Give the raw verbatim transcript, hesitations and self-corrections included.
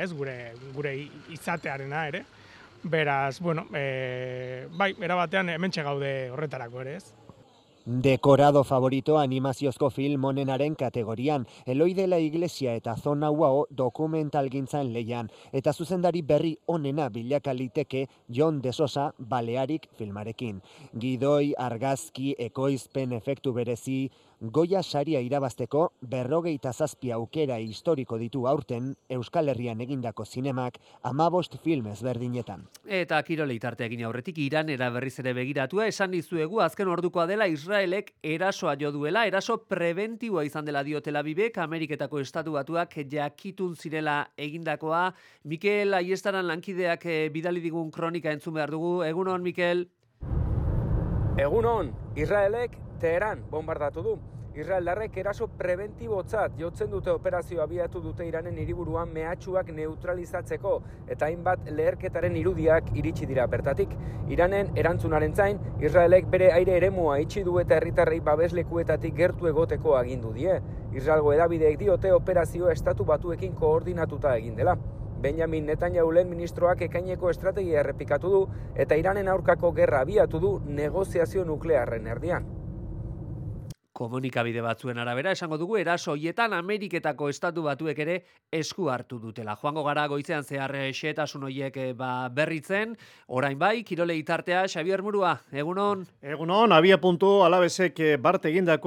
ez, gure, gure izatearena ere. Beraz, bueno, e, bai, erabatean hementxe gaude horretarako ere, ez. Dekorado favorito animaziozko film onenaren kategorian, Eloi de la Iglesia eta Zona Uao dokumentalgintzan lehian, eta zuzendari berri onena bilaka liteke Jon de Sosa Balearik filmarekin. Gidoi, argazki, ekoizpen efektu berezi, Goya saria irabazteko berrogeita zazpi aukera historiko ditu aurten Euskal Herrian egindako zinemak hamabost film ezberdinetan. Eta kirolei tarteekin aurretik Iranera berriz ere begiratua esan dizuegu azken ordukoa dela Israelek erasoa jo duela, eraso prebentiboa izan dela dio Tel Avivek, Ameriketako Estatu Batuak jakitun zirela egindakoa. Mikel Aiestaran lankideak bidali digun kronika entzun behar dugu. Egunon, Mikel? Egunon, Israelek Teheran bombardatu du. Israeldarrek eraso prebentibotzat jotzen dute operazio abiatu dute Iranen hiriburuan mehatxuak neutralizatzeko eta hainbat leherketaren irudiak iritsi dira bertatik. Iranen erantzunaren zain, Israelek bere aire eremua itxi du eta herritarrei babeslekuetatik gertu egoteko agindu die. Israelgo hedabideek diote operazio Estatu Batuekin koordinatuta egin dela. Benjamin Netanyahu lehen ministroak ekaineko estrategia errepikatu du eta Iranen aurkako gerra abiatu du negoziazio nuklearren erdian. Komunikabide batzuen arabera esango dugu eraso hoietan Ameriketako Estatu Batuek ere esku hartu dutela. Joango gara goizean zehar xehetasun horiek ba, berritzen, orain bai, kirolei tartea, Xabier Murua, egunon? Egunon, abia puntu alabesek bart egindakoa